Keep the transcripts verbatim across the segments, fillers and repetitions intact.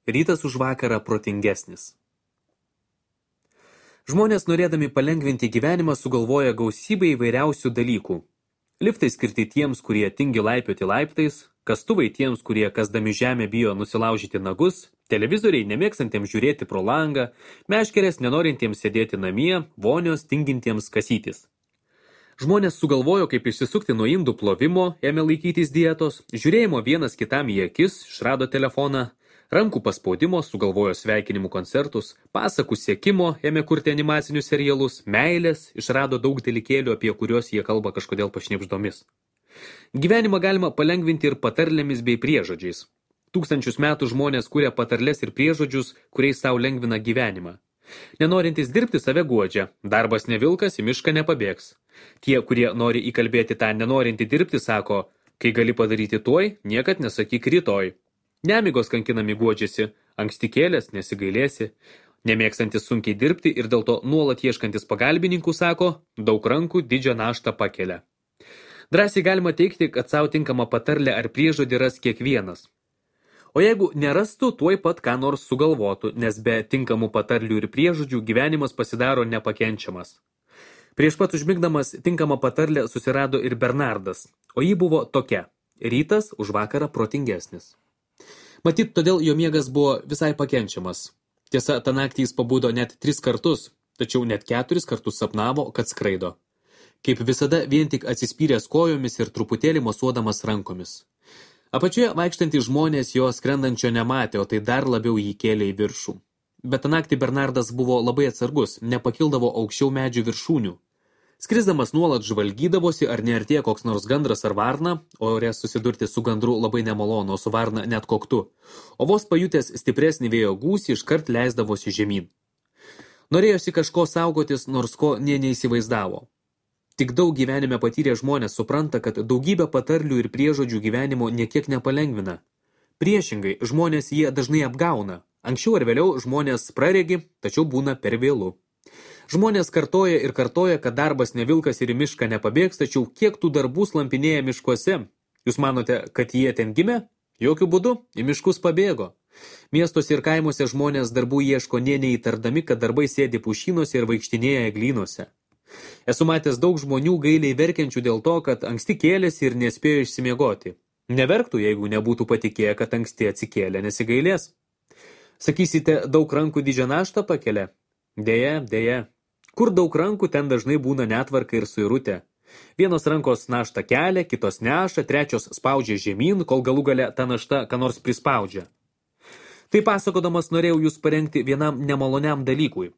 rytas už vakarą protingesnis. Žmonės, norėdami palengvinti gyvenimą, sugalvoja gausybę įvairiausių dalykų. Liftai skirti tiems, kurie tingi laipioti laiptais, kastuvai tiems, kurie kasdami žemę bijo nusilaužyti nagus, televizoriai nemėgstantiems žiūrėti pro langą, meškerės nenorintiems sėdėti namie, vonios tingintiems kasytis. Žmonės sugalvojo, kaip išsisukti nuo indų plovimo, ėmė laikytis dietos, žiūrėjimo vienas kitam į akis, išrado telefoną, rankų paspaudimo, sugalvojo sveikinimų koncertus, pasakų sekimo, ėmė kurti animacinius serialus, meilės, išrado daug dalykėlių, apie kuriuos jie kalba kažkodėl pašnibždomis. Gyvenimą galima palengvinti ir patarlėmis bei priežodžiais. Tūkstančius metų žmonės kuria patarlės ir priežodžius, kuriais sau lengvina gyvenimą. Nenorintys dirbti save guodžia, darbas ne vilkas, į mišką nepabėgs. Tie, kurie nori įkalbėti tą nenorintį dirbti, sako, kai gali padaryti tuoj, niekad nesakyk rytoj. Nemigos kankinami guodžiasi, anksti kėlės nesigailėsi, nemėgstantis sunkiai dirbti ir dėl to nuolat ieškantis pagalbininkų sako, daug rankų didžią naštą pakelia. Drąsiai galima teigti, kad savo tinkamą patarlę ar priežodį ras kiekvienas. O jeigu nerastų, tuoj pat ką nors sugalvotų, nes be tinkamų patarlių ir priežodžių gyvenimas pasidaro nepakenčiamas. Prieš pat užmigdamas tinkamą patarlę susirado ir Bernardas, o ji buvo tokia – rytas už vakarą protingesnis. Matyt, todėl jo miegas buvo visai pakenčiamas. Tiesa, tą naktį jis pabudo net tris kartus, tačiau net keturis kartus sapnavo, kad skraido. Kaip visada, vien tik atsispyręs kojomis ir truputėlį mosuodamas rankomis. Apačioje vaikštantys žmonės jo skrendančio nematė, o tai dar labiau jį kėlė į viršų. Bet tą naktį Bernardas buvo labai atsargus, nepakildavo aukščiau medžių viršūnių. Skrisdamas nuolat žvalgydavosi, ar neartėja koks nors gandras ar varna, o ore susidurti su gandru labai nemalonu, o su varna net koktu. O vos pajutęs stipresnį vėjo gūsį, iškart leisdavosi žemyn. Norėjosi kažko saugotis, nors ko nė neįsivaizdavo. Tik daug gyvenime patyrę žmonės supranta, kad daugybė patarlių ir priežodžių gyvenimo niekiek nepalengvina. Priešingai, žmonės jie dažnai apgauna. Anksčiau ar vėliau žmonės praregi, tačiau būna per vėlu. Žmonės kartoja ir kartoja, kad darbas ne vilkas ir į mišką nepabėgs, tačiau kiek tų darbų slampinėja miškuose? Jūs manote, kad jie ten gimė? Jokių būdų, į miškus pabėgo. Miestuose ir kaimuose žmonės darbų ieško nė neįtardami, kad darbai sėdi pušynuose ir vaikštinėja eglynuose. Esu matęs daug žmonių gailiai verkiančių dėl to, kad anksti kėlėsi ir nespėjo išsimiegoti. Neverktų, jeigu nebūtų patikėję, kad anksti atsikėlė nesigailės. Sakysite, daug rankų didžią naštą pakelia? Deja, deja. Kur daug rankų, ten dažnai būna netvarka ir suirutė. Vienos rankos naštą kelia, kitos neša, trečios spaudžia žemyn, kol galų gale ta našta ką nors prispaudžia. Tai pasakodamas norėjau jūs parengti vienam nemaloniam dalykui.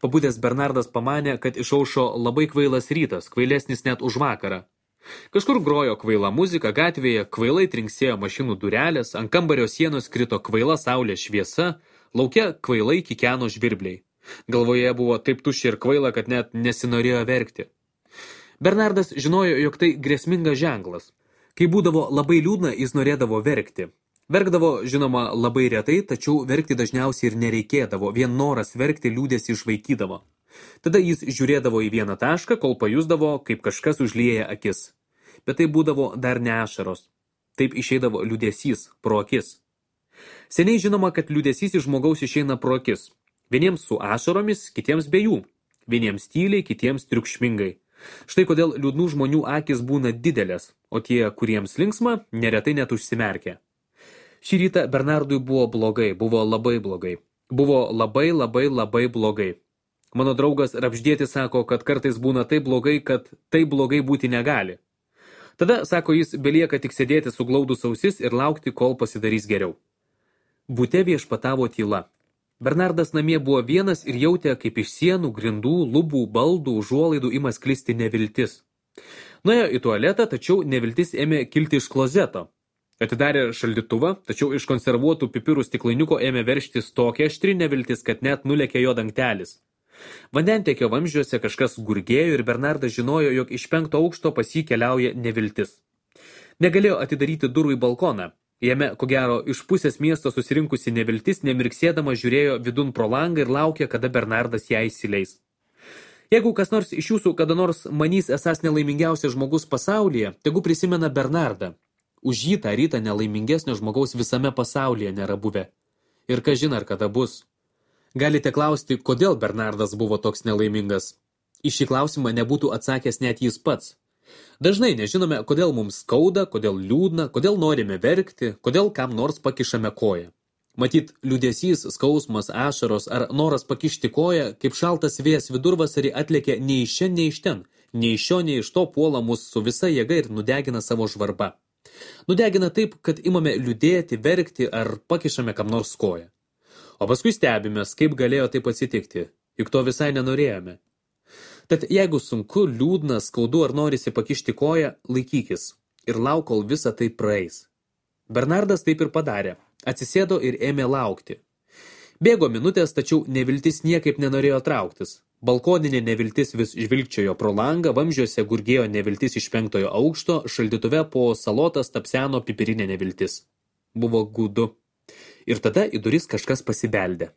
Pabudęs Bernardas pamanė, kad išaušo labai kvailas rytas, kvailesnis net už vakarą. Kažkur grojo kvaila muzika gatvėje, kvailai trinksėjo mašinų durelės, ant kambario sienos krito kvaila saulės šviesa, lauke kvailai kikeno žvirbliai. Galvoje buvo taip tuščia ir kvaila, kad net nesinorėjo verkti. Bernardas žinojo, jog tai grėsmingas ženklas. Kai būdavo labai liūdna, jis norėdavo verkti. Verkdavo, žinoma, labai retai, tačiau verkti dažniausiai ir nereikėdavo, vien noras verkti liūdėsi išvaikydavo. Tada jis žiūrėdavo į vieną tašką, kol pajusdavo, kaip kažkas užlieja akis. Bet tai būdavo dar ne ašaros. Taip išeidavo liūdesys pro akis. Seniai žinoma, kad liūdesys iš žmogaus išeina pro akis. Vieniems su ašaromis, kitiems be jų. Vieniems tyliai, kitiems triukšmingai. Štai kodėl liūdnų žmonių akis būna didelės, o tie, kuriems linksma, neretai net užsimerkia. Šį rytą Bernardui buvo blogai, buvo labai blogai. Buvo labai, labai, labai blogai. Mano draugas Rapždėtis sako, kad kartais būna taip blogai, kad taip blogai būti negali. Tada, sako jis, belieka tik sėdėti suglaudus ausis ir laukti, kol pasidarys geriau. Bute viešpatavo tyla. Bernardas namie buvo vienas ir jautė, kaip iš sienų, grindų, lubų, baldų, užuolaidų ima sklisti neviltis. Nuėjo į tualetą, tačiau neviltis ėmė kilti iš klozeto. Atidarė šaldytuvą, tačiau iš konservuotų pipirų stiklainiuko ėmė verštis tokia aštri neviltis, kad net nulėkė jo dangtelis. Vandentiekio vamzdžiuose kažkas gurgėjo ir Bernardas žinojo, jog iš penkto aukšto pas jį keliauja neviltis. Negalėjo atidaryti durų į balkoną. Jame, ko gero, iš pusės miesto susirinkusi neviltis, nemirksėdama žiūrėjo vidun pro langą ir laukė, kada Bernardas ją įsileis. Jeigu kas nors iš jūsų kada nors manys esas nelaimingiausias žmogus pasaulyje, tegu prisimena Bernardą. Už jį tą rytą nelaimingesnio žmogaus visame pasaulyje nėra buvę. Ir kažin ar kada bus. Galite klausti, kodėl Bernardas buvo toks nelaimingas. Į šį klausimą nebūtų atsakęs net jis pats. Dažnai nežinome, kodėl mums skauda, kodėl liūdna, kodėl norime verkti, kodėl kam nors pakišame koją. Matyt, liūdesys, skausmas, ašaros ar noras pakišti koją, kaip šaltas vėjas vidurvasarį atlėkė nei iš čia, nei iš ten, nei iš šio, nei iš to puola mus su visa jėga ir nudegina savo žvarba. Nudegina taip, kad imame liūdėti, verkti ar pakišame kam nors koją. O paskui stebimės, kaip galėjo taip atsitikti, juk to visai nenorėjome. Tad jeigu sunku, liūdna, skaudu ar norisi pakišti koją, laikykis ir lauk, kol visa tai praeis. Bernardas taip ir padarė, atsisėdo ir ėmė laukti. Bėgo minutės, tačiau neviltis niekaip nenorėjo trauktis. Balkoninė neviltis vis žvilgčiojo pro langą, vamzdžiuose gurgėjo neviltis iš penktojo aukšto, šaldytuve po salotas tapseno pipirinė neviltis. Buvo gūdu. Ir tada į duris kažkas pasibeldė.